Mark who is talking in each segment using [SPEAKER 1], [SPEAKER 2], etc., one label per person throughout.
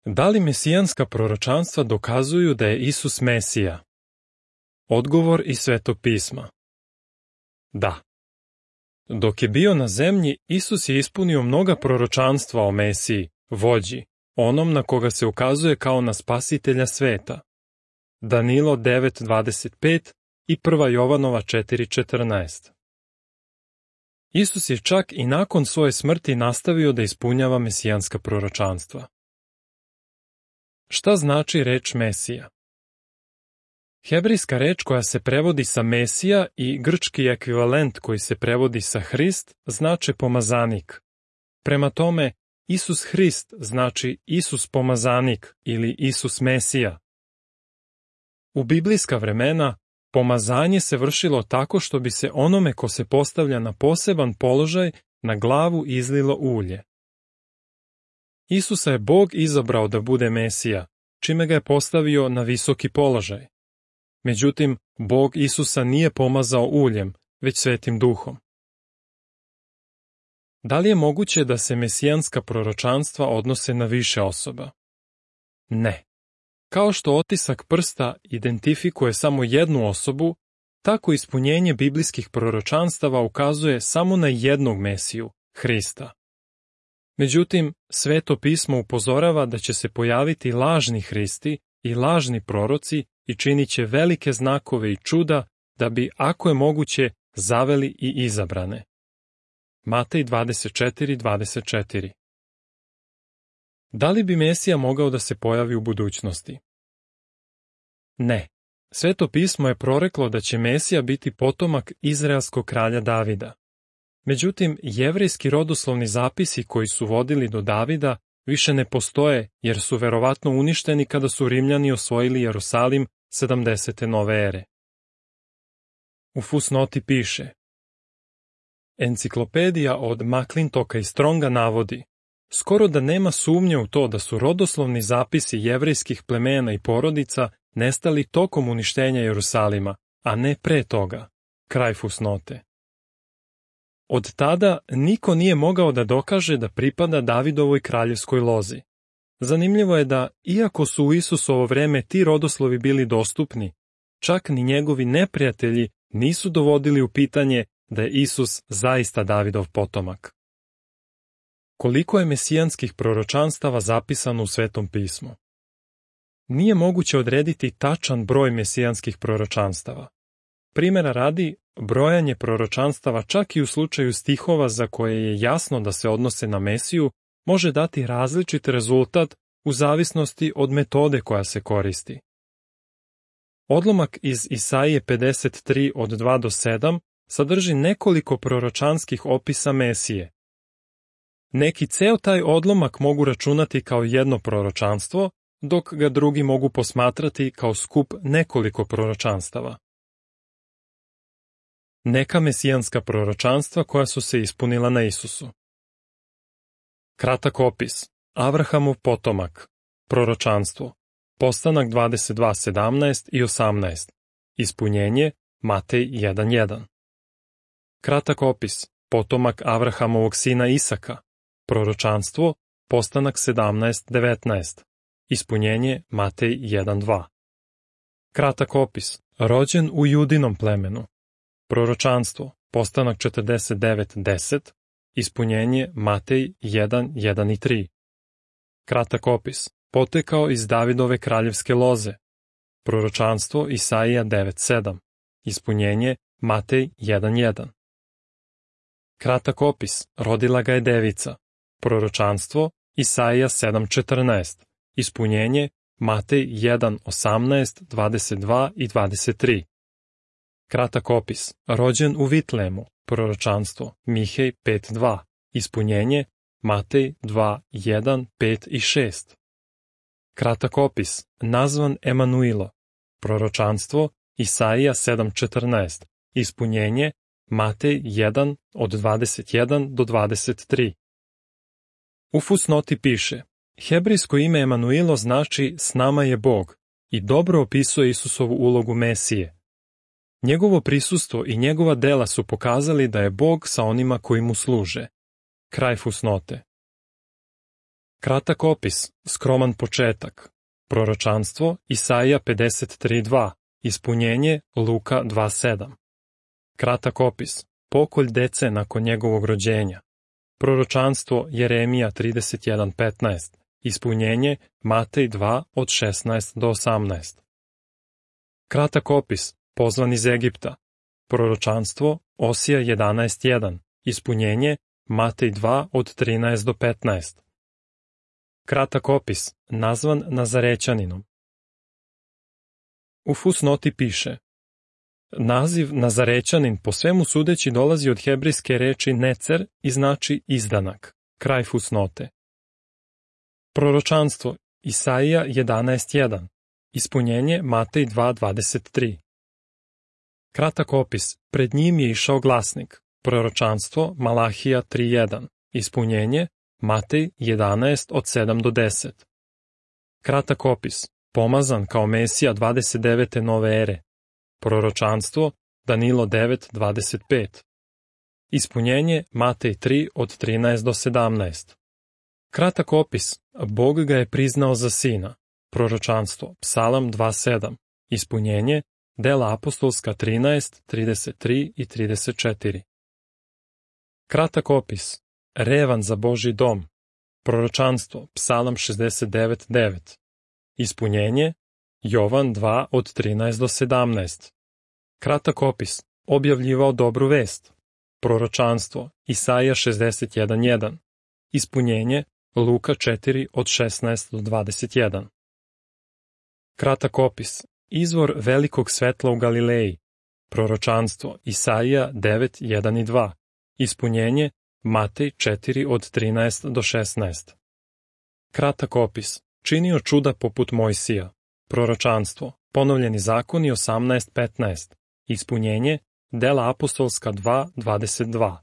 [SPEAKER 1] Da li mesijanska proročanstva dokazuju da je Isus Mesija? Odgovor iz Svetog pisma. Da. Dok je bio na zemlji, Isus je ispunio mnoga proročanstva o Mesiji, vođi, onom na koga se ukazuje kao na spasitelja sveta. Danilo 9.25 i 1. Jovanova 4.14. Isus je čak i nakon svoje smrti nastavio da ispunjava mesijanska proročanstva. Šta znači reč Mesija? Hebrejska reč koja se prevodi sa Mesija i grčki ekvivalent koji se prevodi sa Hrist znače pomazanik. Prema tome, Isus Hrist znači Isus pomazanik ili Isus Mesija. U biblijska vremena, pomazanje se vršilo tako što bi se onome ko se postavlja na poseban položaj na glavu izlilo ulje. Isusa je Bog izabrao da bude Mesija, čime ga je postavio na visoki položaj. Međutim, Bog Isusa nije pomazao uljem, već Svetim Duhom. Da li je moguće da se mesijanska proročanstva odnose na više osoba? Ne. Kao što otisak prsta identifikuje samo jednu osobu, tako ispunjenje biblijskih proročanstava ukazuje samo na jednog Mesiju, Hrista. Međutim, Sveto pismo upozorava da će se pojaviti lažni Hristi i lažni proroci i činit će velike znakove i čuda da bi, ako je moguće, zaveli i izabrane. Matej 24.24. Da li bi Mesija mogao da se pojavi u budućnosti? Ne. Sveto pismo je proreklo da će Mesija biti potomak izraelskog kralja Davida. Međutim, jevrejski rodoslovni zapisi koji su vodili do Davida više ne postoje jer su verovatno uništeni kada su Rimljani osvojili Jerusalim 70. nove ere. U fusnoti piše: Enciklopedija od McClintocka i Stronga navodi: skoro da nema sumnje u to da su rodoslovni zapisi jevrejskih plemena i porodica nestali tokom uništenja Jerusalima, a ne pre toga. Kraj fusnote. Od tada niko nije mogao da dokaže da pripada Davidovoj kraljevskoj lozi. Zanimljivo je da, iako su u Isusovo vreme ti rodoslovi bili dostupni, čak ni njegovi neprijatelji nisu dovodili u pitanje da je Isus zaista Davidov potomak. Koliko je mesijanskih proročanstava zapisano u Svetom pismu? Nije moguće odrediti tačan broj mesijanskih proročanstava. Primera radi, brojanje proročanstava čak i u slučaju stihova za koje je jasno da se odnose na Mesiju može dati različit rezultat u zavisnosti od metode koja se koristi. Odlomak iz Isaije 53 od 2 do 7 sadrži nekoliko proročanskih opisa Mesije. Neki ceo taj odlomak mogu računati kao jedno proročanstvo, dok ga drugi mogu posmatrati kao skup nekoliko proročanstava. Neka mesijanska proročanstva koja su se ispunila na Isusu. Kratak opis. Avrahamov potomak. Proročanstvo. Postanak 22.17 i 18. Ispunjenje Matej 1.1. Kratak opis. Potomak Avrahamovog sina Isaka. Proročanstvo. Postanak 17.19. Ispunjenje Matej 1.2. Kratak opis. Rođen u Judinom plemenu. Proročanstvo. Postanak 49.10. Ispunjenje Matej 1.1 i 3. Kratak opis. Potekao iz Davidove kraljevske loze. Proročanstvo Isaija 9.7. Ispunjenje Matej 1.1. Kratak opis. Rodila ga je devica. Proročanstvo Isaija 7.14. Ispunjenje Matej 1.18, 22 i 23. Kratak opis. Rođen u Vitlemu. Proročanstvo Mihej 5.2. Ispunjenje Matej 2.1, 5 i 6. Kratak opis. Nazvan Emanuilo. Proročanstvo Isaija 7.14. Ispunjenje Matej 1 od 21 do 23. U fusnoti piše: hebrejsko ime Emanuilo znači s nama je Bog i dobro opisuje Isusovu ulogu Mesije. Njegovo prisustvo i njegova dela su pokazali da je Bog sa onima koji mu služe. Kraj fusnote. Kratak opis, skroman početak. Proročanstvo Isaija 53.2. Ispunjenje Luka 2.7. Kratak opis, pokolj dece nakon njegovog rođenja. Proročanstvo Jeremija 31.15. Ispunjenje Matej 2 od 16 do 18. Kratak opis, pozvan iz Egipta. Proročanstvo Osija 11.1. Ispunjenje Matej 2 od 13 do 15. Kratak opis, nazvan Nazarećaninom. U fusnoti piše: naziv Nazarećanin po svemu sudeći dolazi od hebrejske reči necer i znači izdanak. Kraj fusnote. Proročanstvo Isaija 11.1. Ispunjenje Matej 2.23. Kratak opis, pred njim je išao glasnik. Proročanstvo Malahija 3.1. Ispunjenje Matej 11 od 7 do 10. Kratak opis, pomazan kao Mesija 29. nove ere. Proročanstvo Danilo 9.25. Ispunjenje Matej 3 od 13 do 17. Kratak opis, Bog ga je priznao za sina. Proročanstvo Psalam 2.7. Ispunjenje Dela apostolska 13, 33 i 34. Kratak opis, revan za Božji dom. Proročanstvo Psalam 69.9. Ispunjenje Jovan 2 od 13 do 17. Kratak opis, objavljivao dobru vest. Proročanstvo Isaija 61.1. Ispunjenje Luka 4 od 16 do 21. Kratak opis, izvor velikog svetla u Galileji. Proročanstvo Isaija 9.1 i 2. Ispunjenje Matej 4 od 13 do 16. Kratak opis, činio čuda poput Mojsija. Proročanstvo Ponovljeni zakoni 18.15. Ispunjenje Dela apostolska 2.22.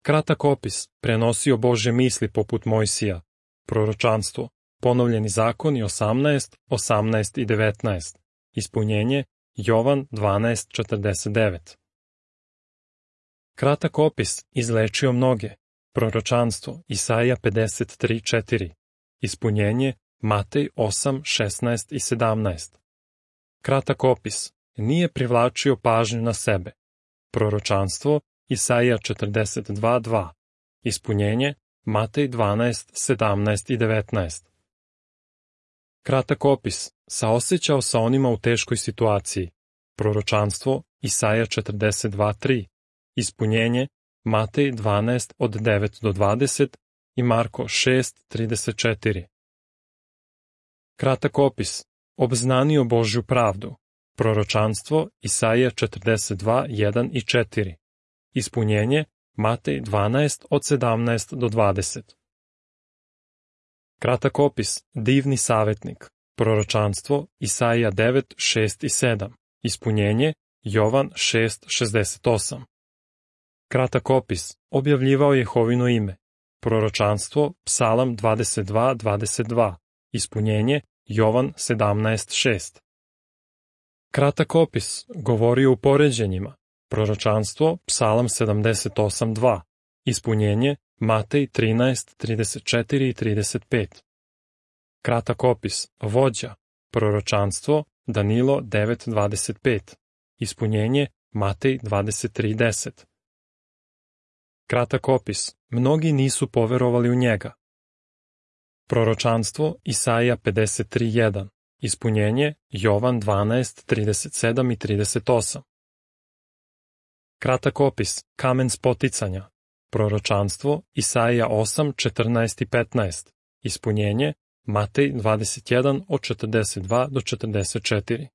[SPEAKER 1] Kratak opis, prenosio Božje misli poput Mojsija. Proročanstvo Ponovljeni zakoni 18, 18 i 19. Ispunjenje Jovan 12.49. Kratak opis, izlečio mnoge. Proročanstvo Isaija 53.4. Ispunjenje Matej 8, 16 i 17. Kratak opis, nije privlačio pažnju na sebe. Proročanstvo Isaija 42.2. Ispunjenje Matej 12, 17 i 19. Kratak opis, saosećao sa onima u teškoj situaciji. Proročanstvo Isaija 42.3. Ispunjenje Matej 12 od 9 do 20 i Marko 6.34. Kratak opis, obznanio Božju pravdu. Proročanstvo Isaija 42.1 i 4. Ispunjenje Matej 12 od 17 do 20. Kratak opis, divni savjetnik. Proročanstvo Isaija 9, 6 i 7. Ispunjenje Jovan 6, 68. Kratak opis, objavljivao Jehovino ime. Proročanstvo Psalam 22, 22. Ispunjenje Jovan 17, 6. Kratak opis, govorio u poređenjima. Proročanstvo Psalam 78, 2. Ispunjenje Matej 13, 34 i 35. Kratak opis, vođa. Proročanstvo Danilo 9, 25. Ispunjenje Matej 23, 10. Kratak opis, mnogi nisu poverovali u njega. Proročanstvo Isaija 53.1. Ispunjenje Jovan 12, 37 i 38. Kratak opis, kamen spoticanja. Proročanstvo Isaija 8, 14 i 15. Ispunjenje Matej 21 od 42 do 44.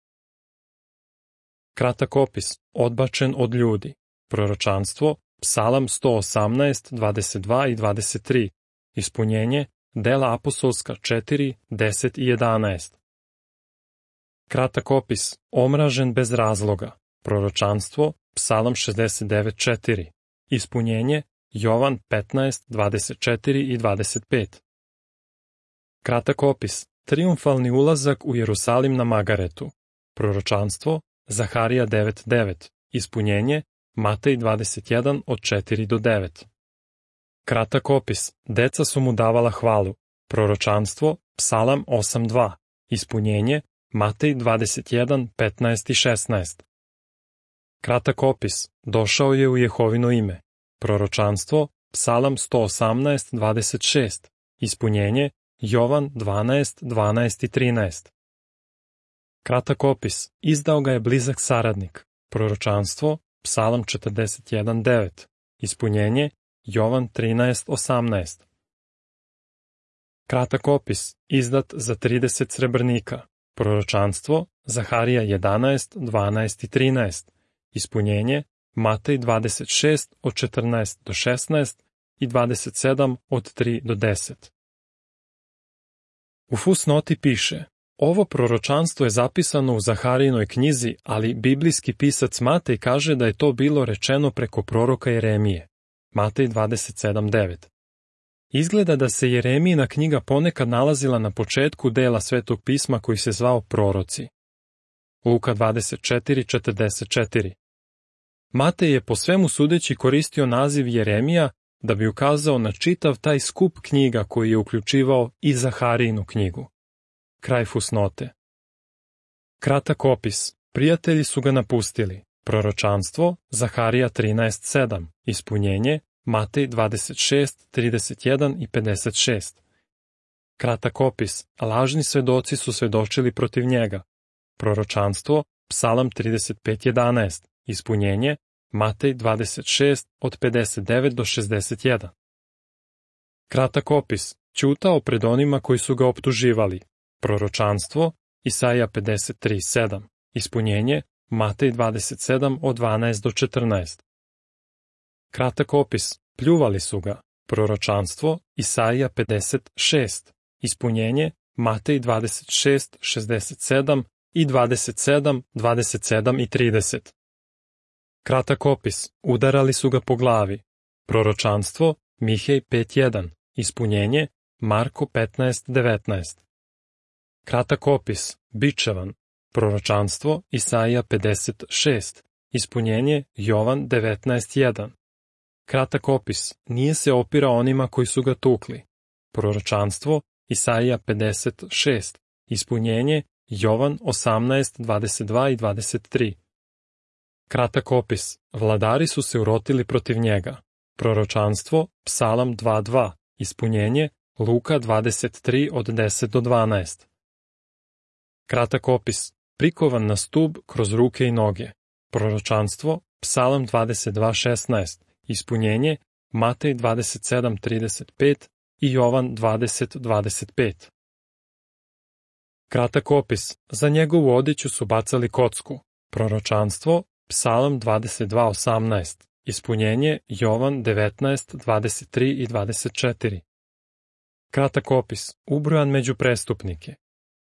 [SPEAKER 1] Kratak opis, odbačen od ljudi. Proročanstvo Psalam 118, 22 i 23. Ispunjenje Dela apostolska 4, 10 i 11. Kratak opis, omražen bez razloga. Proročanstvo Psalam 69.4. Ispunjenje Jovan 15, 24 i 25. Kratak opis, trijumfalni ulazak u Jerusalim na Magaretu. Proročanstvo Zaharija 9.9. Ispunjenje Matej 21 od 4 do 9. Kratak opis, deca su mu davala hvalu. Proročanstvo, Psalam 8.2. Ispunjenje, Matej 21, 15 i 16. Kratak opis, došao je u Jehovino ime. Proročanstvo, Psalam 118, 26. Ispunjenje, Jovan 12, 12 i 13. Kratak opis, izdao ga je blizak saradnik. Proročanstvo, Psalam 41, 9. Ispunjenje, Jovan 13, 18. Kratak opis, izdat za 30 srebrnika. Proročanstvo, Zaharija 11, 12 i 13. Ispunjenje, Matej 26 od 14 do 16 i 27 od 3 do 10. U fusnoti piše: ovo proročanstvo je zapisano u Zaharijinoj knjizi, ali biblijski pisac Matej kaže da je to bilo rečeno preko proroka Jeremije. Matej 27.9. Izgleda da se Jeremijina knjiga ponekad nalazila na početku dela Svetog pisma koji se zvao Proroci. Luka 24.44. Matej je po svemu sudeći koristio naziv Jeremija da bi ukazao na čitav taj skup knjiga koji je uključivao i Zaharijinu knjigu. Kraj fusnote. Kratak opis. Prijatelji su ga napustili. Proročanstvo, Zaharija 13.7. Ispunjenje, Matej 26, 31 i 56. Kratak opis. Lažni svedoci su svedočili protiv njega. Proročanstvo, Psalam 35.11. Ispunjenje, Matej 26 od 59 do 61. Kratak opis. Ćutao pred onima koji su ga optuživali. Proročanstvo, Isaija 53.7. Ispunjenje, Matej 27 od 12 do 14. Kratak opis. Pljuvali su ga. Proročanstvo, Isaija 56. Ispunjenje, Matej 26, 67 i 27, 27 i 30. Kratak opis. Udarali su ga po glavi. Proročanstvo, Mihej 5.1. Ispunjenje, Marko 15.19. Kratak opis. Bičevan. Proročanstvo, Isaija 56. Ispunjenje, Jovan 19.1. Kratak opis. Nije se opirao onima koji su ga tukli. Proročanstvo, Isaija 56. Ispunjenje, Jovan 18, 22 i 23. Kratak opis. Vladari su se urotili protiv njega. Proročanstvo, Psalam 2.2. Ispunjenje, Luka 23 od 10 do 12. Kratak opis. Prikovan na stub kroz ruke i noge. Proročanstvo, Psalam 22.16. Ispunjenje, Matej 27.35 i Jovan 20.25. Kratak opis. Za njegovu odjeću su bacali kocku. Proročanstvo, Psalam 22.18. Ispunjenje, Jovan 19.23 i 24. Kratak opis. Ubrojan među prestupnike.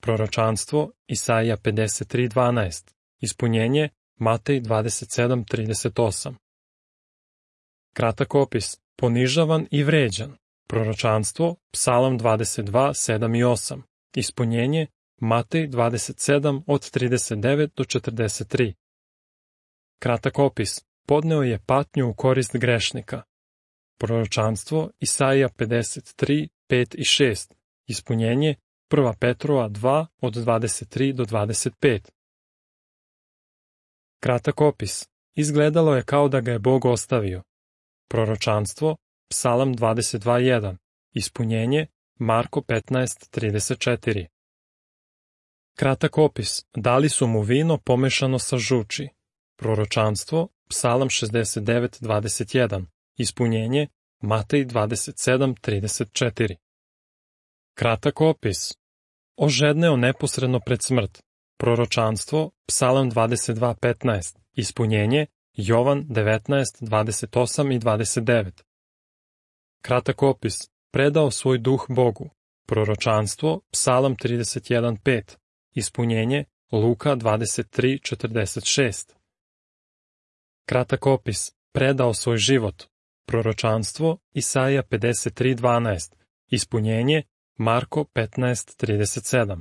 [SPEAKER 1] Proročanstvo, Isaija 53.12. Ispunjenje, Matej 27.38. Kratak opis. Ponižavan i vređan. Proročanstvo, Psalam 22.7 i 8. Ispunjenje, Matej 27 od 39 do 43. Kratak opis. Podneo je patnju u korist grešnika. Proročanstvo, Isaija 53, 5 i 6. Ispunjenje, 1. Petrova 2 od 23 do 25. Kratak opis. Izgledalo je kao da ga je Bog ostavio. Proročanstvo, Psalam 22.1. Ispunjenje, Marko 15.34. Kratak opis. Dali su mu vino pomešano sa žuči. Proročanstvo, Psalam 69.21. Ispunjenje, Matej 27.34. Kratak opis. Ožedneo neposredno pred smrt. Proročanstvo, Psalam 22.15. Ispunjenje, Jovan 19.28 i 29. Kratak opis. Predao svoj duh Bogu. Proročanstvo, Psalam 31.5. Ispunjenje, Luka 23.46. Kratak opis. Predao svoj život. Proročanstvo, Isaija 53.12. Ispunjenje, Marko 15.37.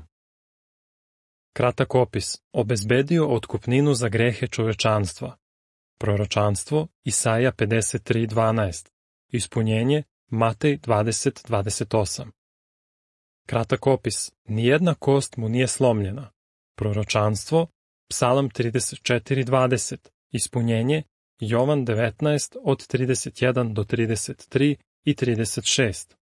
[SPEAKER 1] Kratak opis. Obezbedio otkupninu za grehe čovečanstva. Proročanstvo, Isaija 53.12. Ispunjenje, Matej 20.28. Kratak opis, nijedna kost mu nije slomljena. Proročanstvo, Psalam 34:20, ispunjenje, Jovan 19 od 31 do 33 i 36.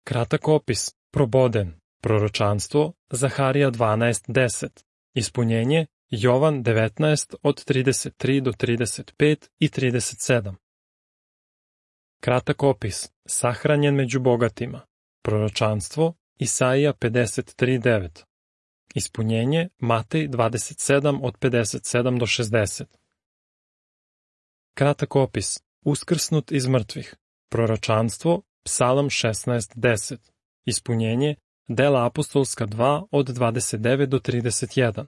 [SPEAKER 1] Kratak opis, proboden, proročanstvo, Zaharija 12:10, ispunjenje, Jovan 19 od 33 do 35 i 37. Kratak opis, sahranjen među bogatima, proročanstvo, Isaija 53:9, ispunjenje, Matej 27 od 57 do 60. Kratak opis, uskrsnut iz mrtvih, proročanstvo, Psalam 16:10, ispunjenje, Dela apostolska 2 od 29 do 31.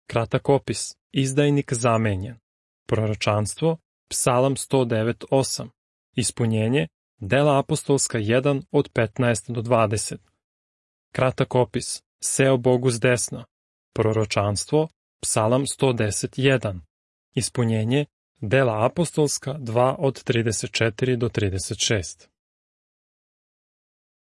[SPEAKER 1] Kratak opis, izdajnik zamenjen, proročanstvo, Psalam 109:8, ispunjenje, Dela apostolska 1 od 15 do 20. Kratak opis, seo Bogu s desna, proročanstvo, Psalam 110:1, ispunjenje, Dela apostolska 2 od 34 do 36.